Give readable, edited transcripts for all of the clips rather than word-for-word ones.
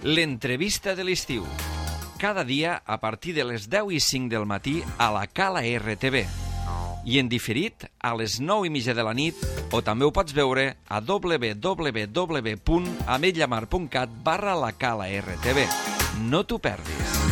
L'entrevista de l'estiu. Cada dia a partir de les 10:05 del matí a la Cala RTV. I en diferit a les 9:30 de la nit, o també ho pots veure a www.ametlllamar.cat/la Cala RTV. No t'ho perdis.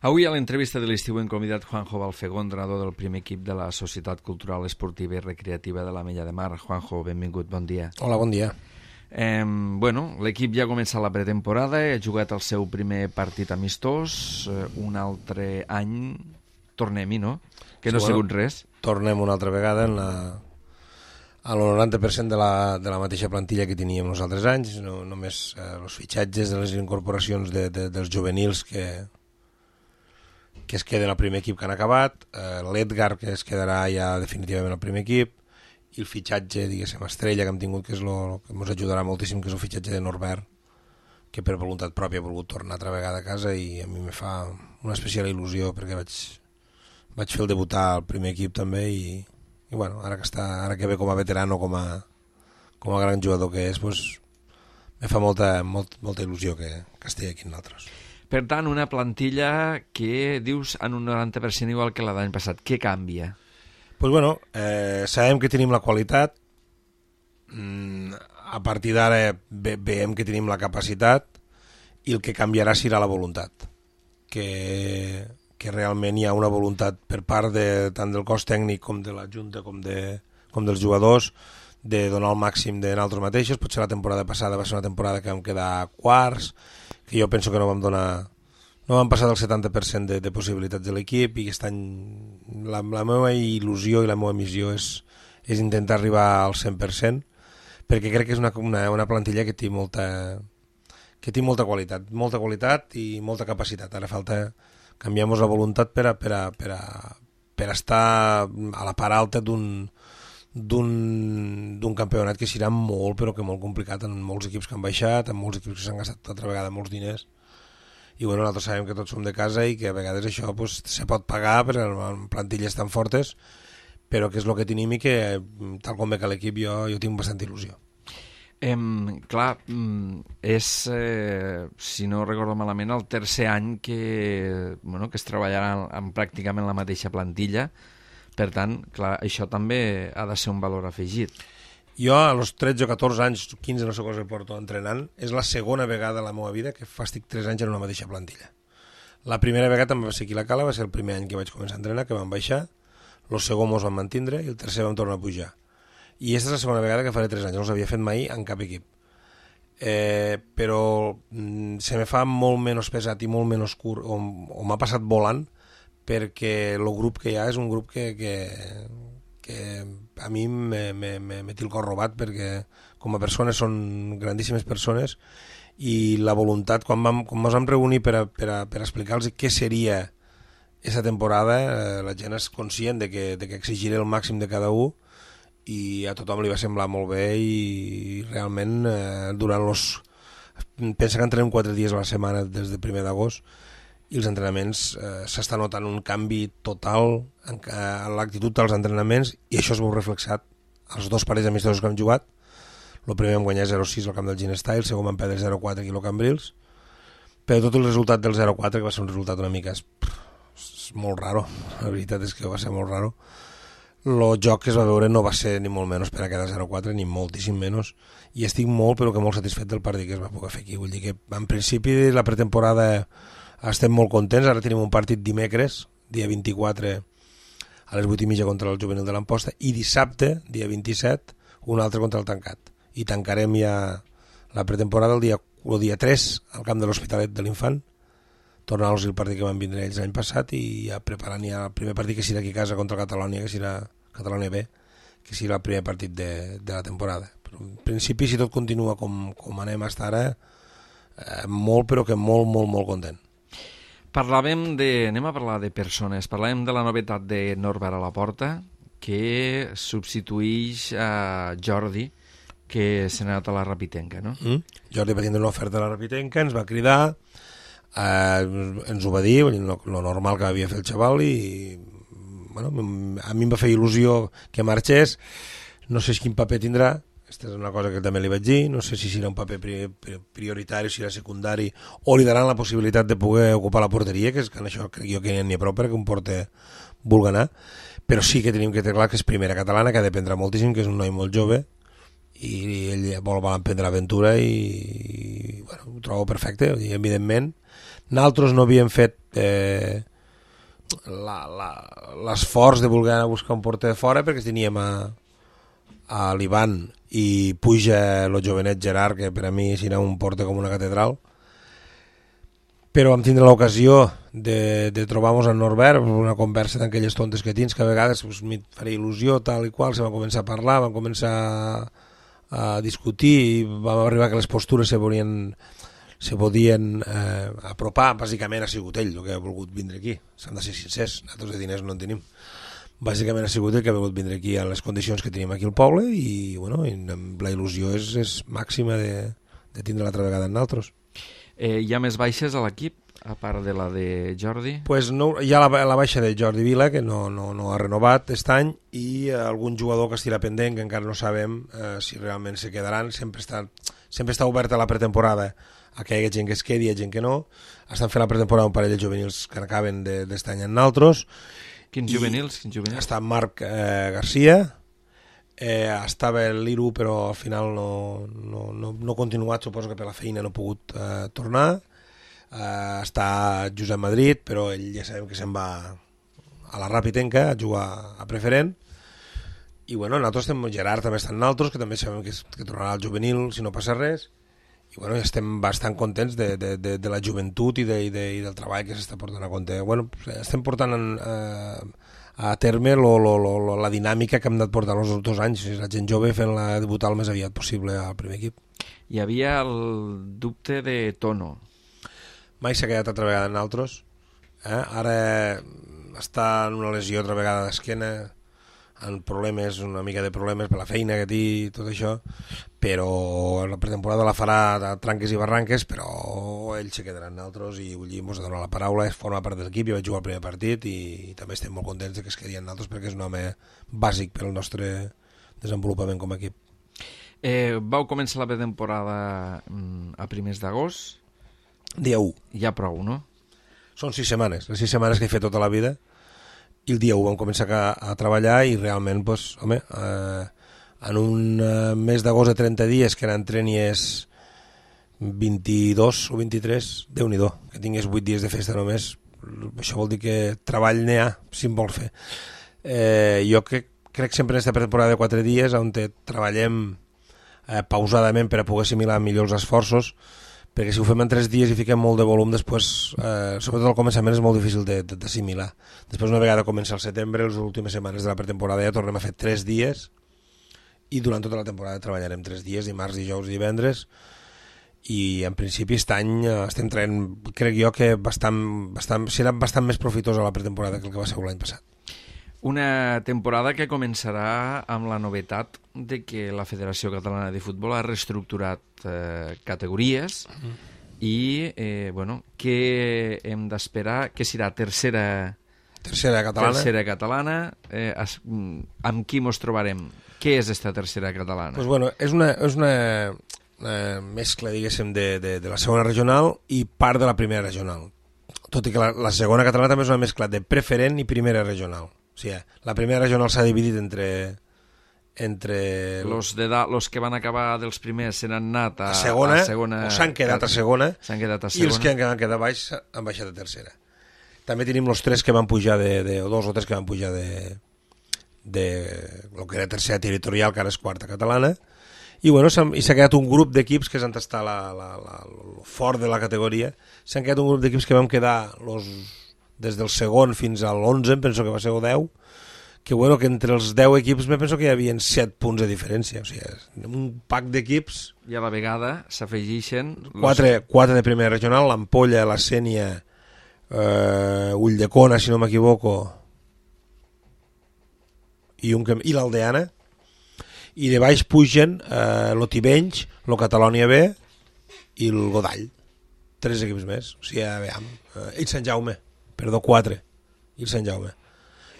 Avui a l'entrevista de l'estiu hem convidat Juanjo Balfegó, entrenador del primer equip de la Societat Cultural, Esportiva i Recreativa de l'Ametlla de Mar. Juanjo, benvingut, bon dia. Hola, bon dia. L'equip ja ha començat la pretemporada, ha jugat el seu primer partit amistós, un altre any tornem-hi, no? Que no ha sigut res. Tornem una altra vegada a l'90% de la mateixa plantilla que teníem els altres anys, només els fitxatges de les incorporacions dels juvenils que es queden al primer equip que han acabat, l'Edgar, que es quedarà ja definitivament al primer equip, i el fitxatge, diguéssim, estrella que hem tingut, que és el que ens ajudarà moltíssim, que és el fitxatge de Norbert, que per voluntat pròpia ha volgut tornar altra vegada a casa, i a mi me fa una especial il·lusió perquè vaig fer el debutar al primer equip també, i bueno, ara que ve com a veterano, com a gran jugador que és, doncs, me fa molta il·lusió que estigui aquí amb nosaltres. Per tant, una plantilla que dius en un 90% igual que la d'any passat. Què canvia? Pues bueno, sabem que tenim la qualitat, a partir d'ara veiem que tenim la capacitat, i el que canviarà serà la voluntat, que realment hi ha una voluntat per part tant del cos tècnic com de la Junta com dels jugadors de donar el màxim de nosaltres mateixos. Potser la temporada passada va ser una temporada que vam quedar quarts, que jo penso que no vam passar del 70% de possibilitats de l'equip, i aquest any la meva il·lusió i la meva missió és intentar arribar al 100%, perquè crec que és una plantilla que té molta qualitat i molta capacitat. Ara falta canviar-nos la voluntat per estar a la part alta d'un campionat que serà molt, però que molt complicat, en molts equips que han baixat, en molts equips que s'han gastat altra vegada molts diners, i bueno, nosaltres sabem que tots som de casa i que a vegades això se pot pagar per plantilles tan fortes, però que és el que tenim, i que tal com ve que l'equip jo tinc bastanta il·lusió. És, si no recordo malament, el tercer any que es treballarà pràcticament la mateixa plantilla. Per tant, clar, això també ha de ser un valor afegit. Jo, a los 13 o 14 anys, 15 no sé cosa que porto entrenant, és la segona vegada a la meva vida que estic 3 anys en una mateixa plantilla. La primera vegada també va ser aquí a la Cala, va ser el primer any que vaig començar a entrenar, que vam baixar, el segon mos vam mantindre i el tercer vam tornar a pujar. I aquesta és la segona vegada que faré 3 anys, no s'havia fet mai en cap equip. Però se me fa molt menys pesat i molt menys curt, o m'ha passat volant, perquè el grup que hi ha és un grup que a mi me té el cor robat, perquè com a persones són grandíssimes persones, i la voluntat, quan ens vam reunir per explicar-los què seria aquesta temporada, la gent és conscient de que exigiré el màxim de cada un, i a tothom li va semblar molt bé, i realment pensa que entrenem 4 dies a la setmana des del 1 d'agost, i els entrenaments s'està notant un canvi total en l'actitud dels entrenaments, i això es veu reflexat als 2 parells amistosos que hem jugat. El primer vam guanyar 0-6 al camp del Ginestà, el segon vam perdre 0-4 aquí al Cambrils, però tot el resultat del 0-4, que va ser un resultat una mica molt raro, la veritat és que va ser molt raro. El joc que es va veure no va ser ni molt menys per a quedar 0-4, ni moltíssim menys, i estic molt, però que molt satisfet del partit que es va poder fer aquí. Vull dir que en principi la pretemporada estem molt contents. Ara tenim un partit dimecres, dia 24, a les 8:30 contra el Juvenil de l'Amposta, i dissabte, dia 27, un altre contra el Tancat. I tancarem ja la pretemporada el dia 3 al camp de l'Hospitalet de l'Infant, tornar-los el partit que van vindre ells l'any passat, i ja preparant ja el primer partit que serà aquí a casa contra Catalònia, que serà Catalònia B, que serà el primer partit de la temporada. Però en principi, si tot continua com anem fins ara, molt, però que molt content. Anem a parlar de persones. Parlàvem de la novetat de Norbert a la porta, que substituïx a Jordi, que se n'ha anat a la Rapitenca, no? Jordi va tindre una oferta a la Rapitenca, ens va cridar, ens ho va dir, lo normal que havia fet el xaval, i bueno, a mi em va fer il·lusió que marxés. No sé quin paper tindrà, Aquesta és una cosa que també li vaig dir, no sé si serà un paper prioritari, si serà secundari, o li daran la possibilitat de poder ocupar la porteria, que és que en això crec jo que n'hi ha prou perquè un porter vulgui anar, però sí que tenim que tenir clar que és primera catalana, que ha d'aprendre moltíssim, que és un noi molt jove, i ell vol emprendre l'aventura i bueno, ho trobo perfecte, i evidentment nosaltres no havíem fet l'esforç de voler anar a buscar un porter de fora perquè teníem a l'Ivan i puja el jovenet Gerard, que per a mi serà un porter com una catedral, però vam tindre l'ocasió de trobar-nos amb Norbert, una conversa d'aquelles tontes que tens, que a vegades pues, m'hi faria il·lusió, tal i qual, se va començar a parlar, vam començar a discutir i vam arribar que les postures se podien apropar. Bàsicament ha sigut ell el que ha volgut vindre aquí, s'han de ser sincers, nosaltres de diners no en tenim. Bàsicament ha sigut ell que ha volgut vindre aquí a les condicions que tenim aquí al poble i, bueno, i la il·lusió és màxima de tindre l'altra vegada en nosaltres. Hi ha més baixes a l'equip, a part de la de Jordi? Pues no, hi ha la baixa de Jordi Vila, que no ha renovat aquest any, i algun jugador que estirà pendent, que encara no sabem si realment se quedaran. Sempre està oberta la pretemporada a que hi hagi gent que es quedi i gent que no. Estan fent la pretemporada un parell de juvenils que acaben d'aquest any en naltros. Quins juvenils? Està Marc Garcia, estava l'Iru però al final no ha continuat, suposo que per la feina no ha pogut tornar. Està Josep Madrid, però ell ja sabem que se'n va a la Ràpitenca a jugar a preferent, i bueno, nosaltres estem, Gerard també està en nosaltres, que també sabem que tornarà al juvenil si no passa res, i bueno, estem bastant contents de la joventut i del treball que s'està portant a compte. Bueno, estem portant a terme la dinàmica que hem anat portant els 2 anys, la gent jove fent-la debutar el més aviat possible al primer equip. Hi havia el dubte de Tono. Mai s'ha quedat altra vegada en altres. Ara està en una lesió altra vegada d'esquena, en problemes, una mica de problemes per la feina que té i tot això, però la pretemporada la farà de tranques i barranques, però ell se quedarà en altres i vull dir, ens ha donat la paraula, forma part de l'equip, jo vaig jugar el primer partit i també estem molt contents de que es quedi en altres perquè és un home bàsic per al nostre desenvolupament com a equip. Vau començar la pretemporada a primers d'agost? Dia 1. Ja prou, no? Són 6 setmanes, les 6 setmanes que he fet tota la vida, i el dia 1 vam començar a treballar i realment, pues, home, en un mes d'agost de 30 dies, que eren trenies 22 o 23, Déu-n'hi-do, que tingués 8 dies de festa només, això vol dir que treball n'hi ha, si em vol fer. Jo crec sempre en aquesta pretemporada de 4 dies, on treballem pausadament per a poder assimilar millor els esforços, perquè si ho fem en 3 dies i fiquem molt de volum, després, sobretot al començament, és molt difícil d'assimilar. Després, una vegada comença el setembre, les últimes setmanes de la pretemporada ja tornem a fer 3 dies, i durant tota la temporada treballarem 3 dies, dimarts, dijous i divendres, i en principi aquest any estem traient, crec jo, que serà bastant més profitosa la pretemporada que el que va ser l'any passat. Una temporada que començarà amb la novetat de que la Federació Catalana de Futbol ha reestructurat categories i, bueno, què hem d'esperar? Que serà tercera catalana. Amb qui ens trobarem? Què és esta tercera catalana? Pues bueno, és una mescla, diguéssim, de la segona regional i part de la primera regional. Tot i que la segona catalana també és una mescla de preferent i primera regional. O sigui, la primera regional s'ha dividit entre los que van acabar dels primers s'han anat a segona, o s'han quedat a segona, i els que han quedat baix han baixat a tercera. També tenim els 3 que van pujar o 2 o 3 que van pujar de lo que era tercera territorial, que ara és quarta catalana, i bueno, s'ha quedat un grup d'equips que s'han tastat el fort de la categoria. S'han quedat un grup d'equips que vam quedar des del segon fins a l'11, penso que va ser el 10, que bueno, que entre els 10 equips me penso que hi havia 7 punts de diferència, o sigui, un pack d'equips. I a la vegada s'afegeixen 4 de primera regional, l'Ampolla, la Sénia, Ulldecona, si no m'equivoco, i l'Aldeana, i de baix pugen l'Otibenys, el Catalònia B i el Godall, 3 equips més, o sigui, i Sant Jaume, 4, i el Sant Jaume.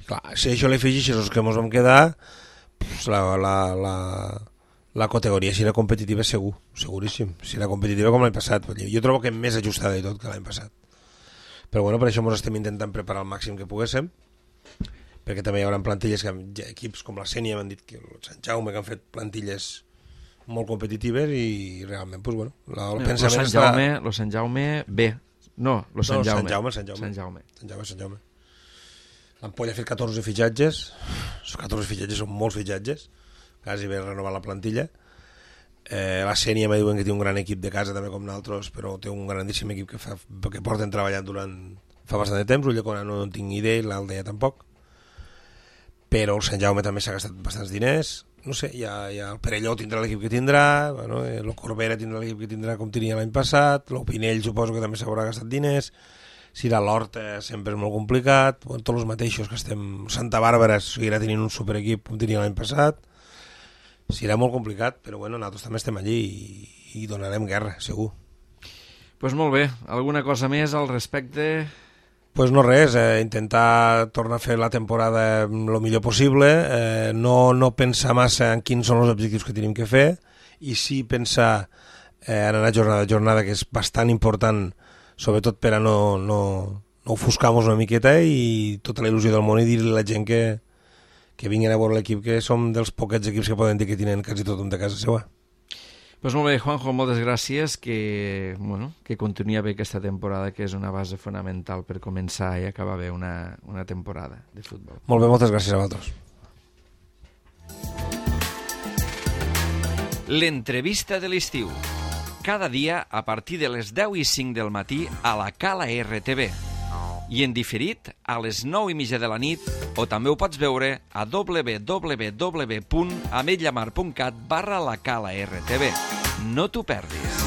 Clar, si això li afegeixes els que ens vam quedar, pues la la categoria serà competitiva segur, seguríssim. Serà competitiva com l'any passat. Jo trobo que més ajustada i tot que l'any passat. Però bueno, per això ens estem intentant preparar el màxim que poguéssim, perquè també hi haurà plantilles, equips com la Sénia m'han dit que el Sant Jaume, que han fet plantilles molt competitives i realment, doncs, bueno, el pensament està... Lo Sant Jaume B. No, lo Sant Jaume. Sant Jaume. L'Ampolla ha fet 14 fitxatges, els 14 fitxatges són molts fitxatges, quasi bé renovar la plantilla. La Sénia me diuen que té un gran equip de casa també com nosaltres, però té un grandíssim equip que porten treballant fa bastant de temps. Ulldecona no en tinc idea, l'Aldea tampoc, però el Sant Jaume també s'ha gastat bastants diners. No sé, ja el Perelló tindrà l'equip que tindrà, bueno, el Corbera tindrà l'equip que tindrà com tenia l'any passat, l'Opinell suposo que també s'haurà gastat diners, si la l'Horta sempre és molt complicat, bueno, tots els mateixos que estem, Santa Bàrbara seguirà tenint un superequip com tenia l'any passat, serà molt complicat, però bueno, nosaltres també estem allí i donarem guerra, segur. Pues molt bé, alguna cosa més al respecte? Pues no res, intentar tornar a fer la temporada el millor possible, no pensar massa en quins són els objectius que tenim que fer i sí pensar en anar jornada a jornada, que és bastant important, sobretot per a no ofuscar-nos una miqueta i tota la il·lusió del món i dir-li a la gent que vinguin a veure l'equip, que som dels poquets equips que poden dir que tenen quasi tothom de casa seva. Pues molt bé, Juanjo, moltes gràcies, que continuï bé aquesta temporada, que és una base fonamental per començar i acabar bé una temporada de futbol. Molt bé, moltes gràcies a vosaltres. L'entrevista de l'estiu. Cada dia a partir de les 10:05 del matí a la Cala RTV. I en diferit a les 9:30 de la nit, o també ho pots veure a www.ametlllamar.cat/la Cala RTV. No t'ho perdis.